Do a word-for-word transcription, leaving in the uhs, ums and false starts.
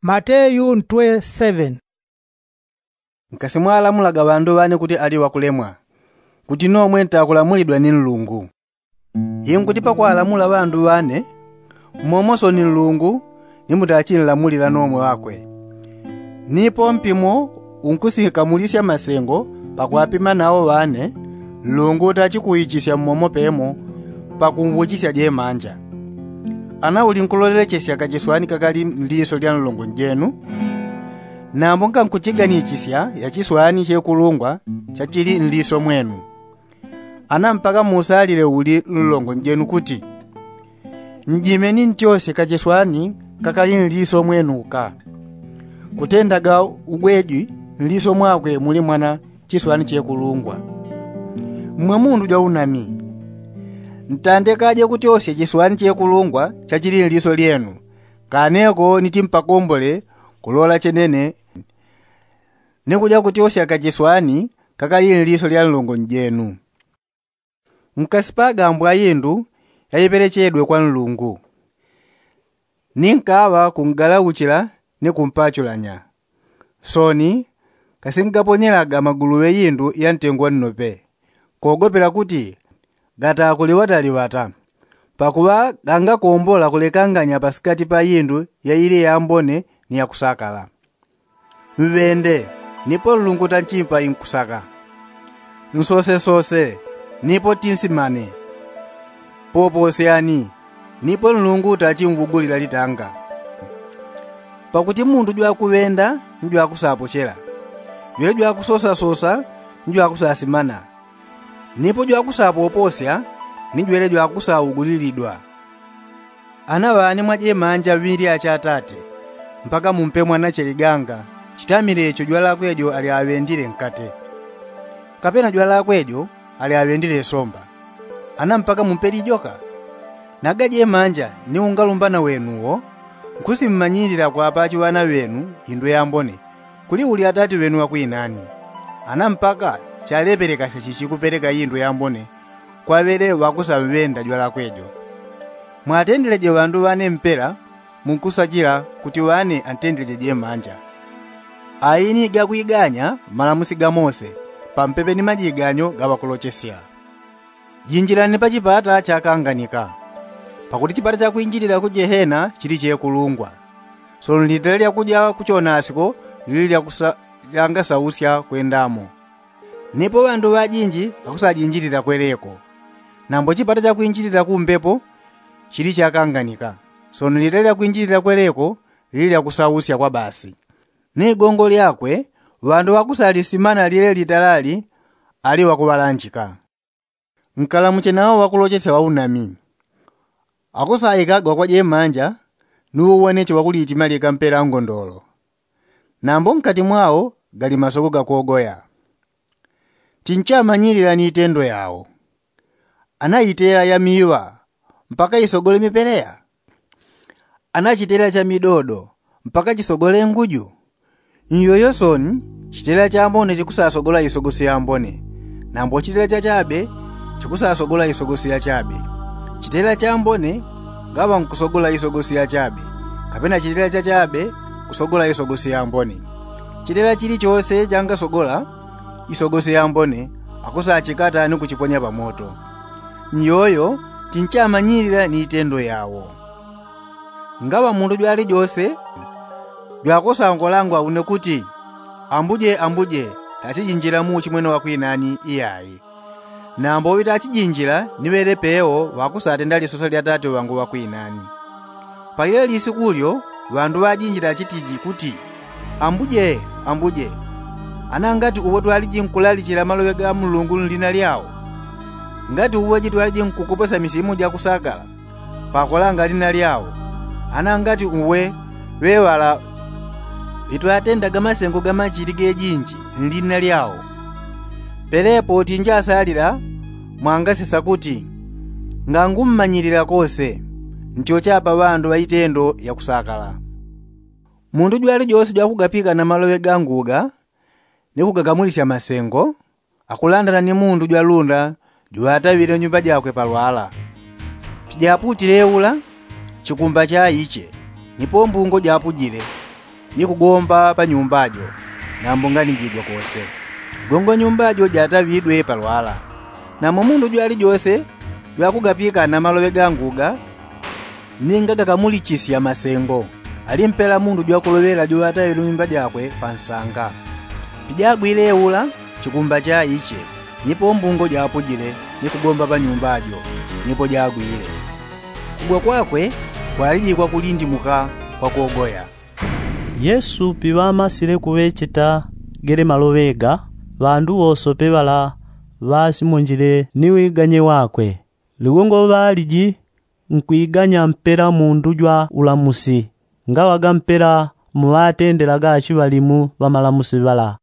Mateyu ntwe seven. Nkasimwalamulaga ŵandu ŵane kuti ali ŵakulemwa, kuti nomwe ntakulamulidwa ni nlungu. Inkuti pakwalamula ŵandu ŵane, momoso ni nlungu ni mutachinlamulila nomwe ŵakwe. Nipo mpimo unkusikamulisya masengo pakwapima nao ŵane, nlungu utachikuichisya mmomo pemo pakumbuchisya jemanja. Ana uli nkulolelechesya kachiswani kakali nliso lya nlongo njenu, nambo nkankuchiganichisya ya chiswani chekulungwa chachili nliso mwenu. Ana mpaka musalile uli nlongo njenu kuti, njimeni ntyosye kachiswani kakali nliso mwenu uka. Kutendaga ugwejwi nliso mwakwe muli mwana chiswani chekulungwa. Mmwe mundu jwaunami, ntandekaje kutyosya chiswani chekulungwa chachili nliso lyenu, kaneko niti mpakombole kulola chenene ni kuja kutyosya kachiswani kakali nliso lya nlongo njenu. Nkasipaga mbwa indu yaipelechedwe kwa nlungu, ni nkaŵa kungalauchila ni kumpachulanya. Soni kasingaponyelaga maguluŵe indu ya ntengo wa nnope, kogopela kuti gatakuliŵataliŵata, pakuŵa gangakombola kulekanganya pasikati pa indu yaili yambone ni yakusakala. Mŵende, nipo nlungu tanchimpa inkusaka. Nsosesose, nipo tinsimane. Poposyani, nipo nlungu tachimwugulila litanga. Pakuti mundu jwakuŵenda ni jwakusapochela, jwele jwakusosasosa ni jwakusasimana, nipo jwakusapoposya ni jwele jwakusaugulilidwa. Ana ŵani mwajemanja ŵilya cha atate, mpaka mumpe mwanache liganga chitamile icho jwalakwe jo aliaŵendile nkate, kapena jwalakwe jo aliaŵendile somba? Ana mpaka mumpe lijoka? Naga jemanja ni ungalumbana wenu wo nkusimmanyilila kwapachi ŵana ŵenu indu yambone kuli uli atate ŵenu ŵakwinani. Ana mpaka chalepelekasya chichi kupeleka indu yambone kwa ŵele ŵakusamŵenda jwalakwe jo. Mwatendeleje ŵandu ŵane mpela munkusachila kuti ŵane antendeleje jemanja. Aini gakwiganya malamusi ga Mose pampepe ni majiganyo ga ŵakulochesya. Jinjilani pa chipata chakanganika, pakuti chipata chakwinjilila ku jehena chili chekulungwa, sono litele lyakuja ku chonasiko lili lyakusa- lyangasausya kwendamo. Nipo ŵandu ŵajinji ŵakusajinjilila kweleko. Nambo chipata chakwinjilila ku mbepo chili chakanganika, sono litele lyakwinjilila kweleko lili lyakusausya kwa basi. Ni gongo lyakwe ŵandu ŵakusalisimana lyele litalali ali ŵakuŵalanjika. Nkalamuche nao ŵakulochesya ŵaunami. Akusaikagwa kwa jemanja ni uweneche wakuliitima lyeka mpela ngondolo, nambo nkati mwao gali masoko gakogoya. Tinchamanyilila ni itendo yao. Ana itela ya miŵa mpaka isogole mipeleya? Ana chitela cha midodo mpaka chisogole nguju? Nyoyo soni, chitela chambone chikusasogola isogosi yambone, nambo chitela chachabe chikusasogola isogosi yachabe. Chitela chambone ngaŵa nkusogola isogosi yachabe, kapena chitela chachabe kusogola isogosi yambone. Chitela chilichose changasogola isogosi yambone akusachikata ni kuchiponya pamoto. Nyoyo tinchamanyilila ni itendo yao. Ngaŵa mundu jwalijose jwakusangolangwa une kuti, ambuje, ambuje, tachijinjila mu uchimwene wakwinani iyayi. Nambo uŵi tachijinjila ni ŵele peo ŵakusatenda lisosa lya tate ŵangu ŵakwinani. Palile lisiku lyo ŵandu ŵajinji tachitiji kuti, ambuje, ambuje, ana ngati uwe twaliji nkulalichila maloŵe ga mulungu nlina lyao? Ngati uwe jitwaliji nkukopwesa misimu jakusakala pakolanga lina lyao? Ana ngati uwe ŵeŵala ŵitwatendaga masengo gamachili gejinji nlina lyao? Pelepo tinjasalila mwangasesa kuti, ngangummanyilila kose ntyochapa ŵandu ŵaitendo yakusakala. Mundu jwalijose jwakugapika na maloŵe ganguga ni kugagamulisya masengo akulandana ni mundu jwalunda juŵataŵile nyumba jakwe palwala. Pijaputile ula, chikumba chaiche, nipo mbungo japujile. Ni kugomba pa nyumba jo nambo nganijigwa kose. Gongo nyumba jo jataŵidwe palwala. Namo mundu jwalijose jwakugapikana maloŵe ga nguga, ninga gakamulichisya masengo, alimpela mundu jwakuloŵela joŵataŵile nyumba jakwe pa nsanga. Pijagwile ula chikumba chaiche, nipo mbungo japujile ni kugomba pa nyumba jo. Nipo jagwile kugwa kwakwe kwalijikwa kulindimuka kwa kogoya. Yesu piŵamasile kuŵecheta gele maloŵe ga, ŵandu ŵosope ŵala ŵasimonjile ni wiganye wakwe. Ligongo ŵaliji nkwiganya mpela mundu jwa ulamusi, ngaŵaga mpela muŵatendelaga achiŵalimu ŵamalamusi ŵala.